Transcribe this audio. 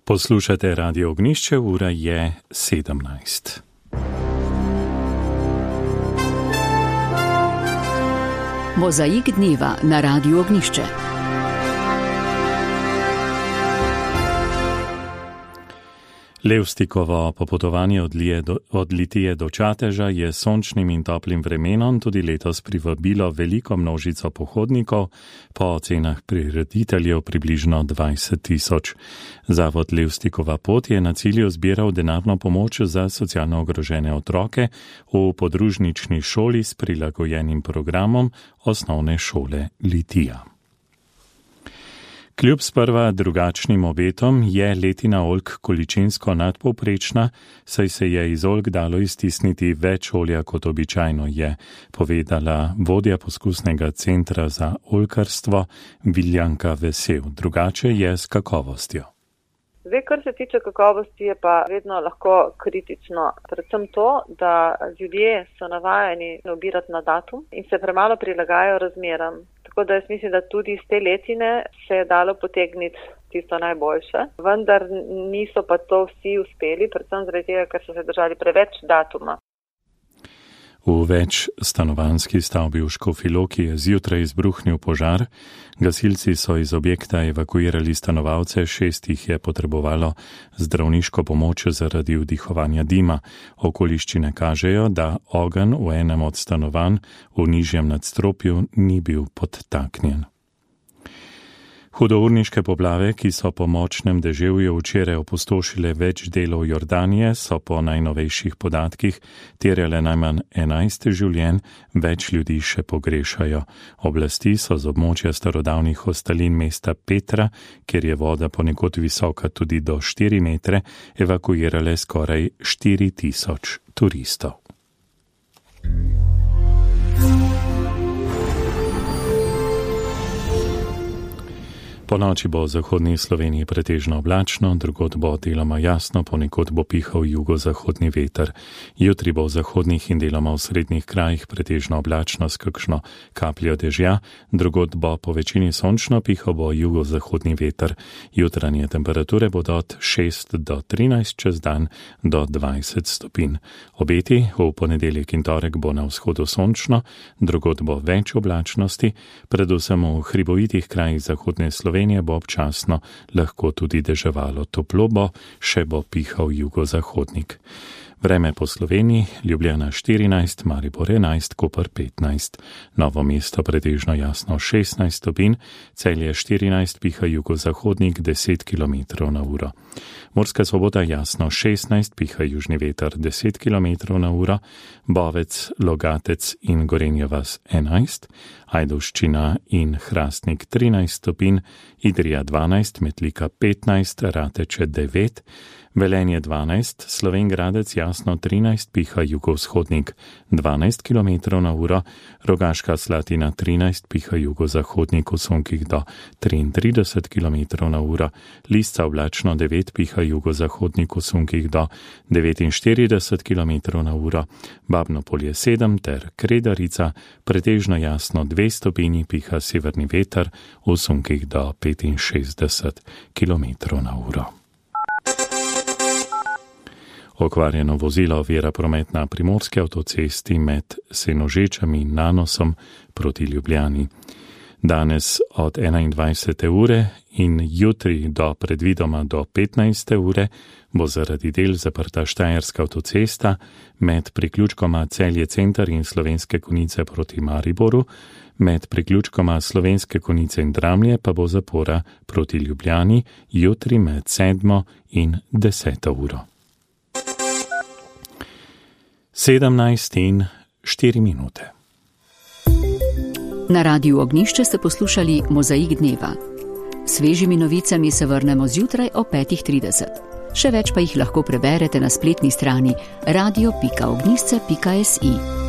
Poslušate Radio Ognjišče, ura je 17. Mozaik dneva na Radiu Ognjišče. Levstikovo popotovanje od Litije do Čateža je s sončnim in toplim vremenom tudi letos privabilo veliko množico pohodnikov, po ocenah prirediteljev približno 20.000. Zavod Levstikova pot je na cilju zbiral denarno pomoč za socialno ogrožene otroke v podružnični šoli s prilagojenim programom osnovne šole Litija. Kljub sprva drugačnim obetom je letina oljk količinsko nadpovprečna, saj se je iz oljk dalo iztisniti več olja kot običajno, je povedala vodja poskusnega centra za oljkarstvo Viljanka Vesel. Drugače je s kakovostjo. Zdaj, kar se tiče kakovosti, je pa vedno lahko kritično. Predvsem to, da ljudje so navajeni nabirati na datum in se premalo prilagajajo razmeram. Tako da jaz mislim, da tudi iz te letine se je dalo potegniti tisto najboljše. Vendar niso pa to vsi uspeli, predvsem zaradi tega, ker so se držali preveč datuma. V več stanovanjski stavbi v Škofji Loki je zjutraj izbruhnil požar. Gasilci so iz objekta evakuirali stanovalce, 6 jih je potrebovalo zdravniško pomoč zaradi vdihovanja dima. Okoliščine kažejo, da ogenj v enem od stanovanj v nižjem nadstropju ni bil podtaknjen. Hudourniške poplave, ki so po močnem deževju včeraj opustošile več delov Jordanije, so po najnovejših podatkih terjale najmanj 11 življenj, več ljudi še pogrešajo. Oblasti so z območja starodavnih ostalin mesta Petra, kjer je voda ponekod visoka tudi do 4 metre, evakuirale skoraj 4000 turistov. Ponoči bo v zahodni Sloveniji pretežno oblačno, drugod bo deloma jasno, ponekod bo pihal jugozahodni veter. Jutri bo v zahodnih in deloma v srednjih krajih pretežno oblačno s kakšno kapljo dežja, drugod bo po večini sončno, pihal bo jugozahodni veter. Jutranje temperature bodo od 6 do 13, čez dan do 20 stopinj. Obeti v ponedeljek in torek bo na vzhodu sončno, drugod bo več oblačnosti, predvsem v hribovitih krajih zahodne Slovenije bo občasno lahko tudi deževalo. Toplo bo, še bo pihal jugozahodnik. Vreme po Sloveniji: Ljubljana 14, Maribor 11, Koper 15, Novo mesto pretežno jasno 16 stopinj, Celje 14, piha jugozahodnik 10 km/h. Murska Sobota jasno 16, piha južni veter 10 km/h, Bovec, Logatec in Gorenja vas 11, Ajdovščina in Hrastnik 13 stopinj, Idrija 12, Metlika 15, Rateče 9, Velenje 12, Slovenj Gradec jasno 13, piha jugovzhodnik 12 km/h, Rogaška Slatina 13, piha jugozahodnik v sunkih do 33 km/h, Lisca oblačno 9, piha jugozahodnik v sunkih do 49 km/h, Babno Polje 7 ter Kredarica pretežno jasno 2 stopinji, piha severni veter v sunkih do 65 km/h. Okvarjeno vozilo ovira promet na primorski avtocesti med Senožečami in Nanosom proti Ljubljani. Danes od 21. ure in jutri do predvidoma do 15. ure bo zaradi del zaprta Štajerska avtocesta med priključkoma Celje Center in Slovenske Konjice proti Mariboru, med priključkoma Slovenske Konjice in Dramlje pa bo zapora proti Ljubljani jutri med 7. in 10. uro. 17:04. Na Radiu Ognjišče ste poslušali Mozaik dneva. Svežimi novicami se vrnemo zjutraj o 5:30. Še več pa jih lahko preberete na spletni strani radio.ognjišče.si.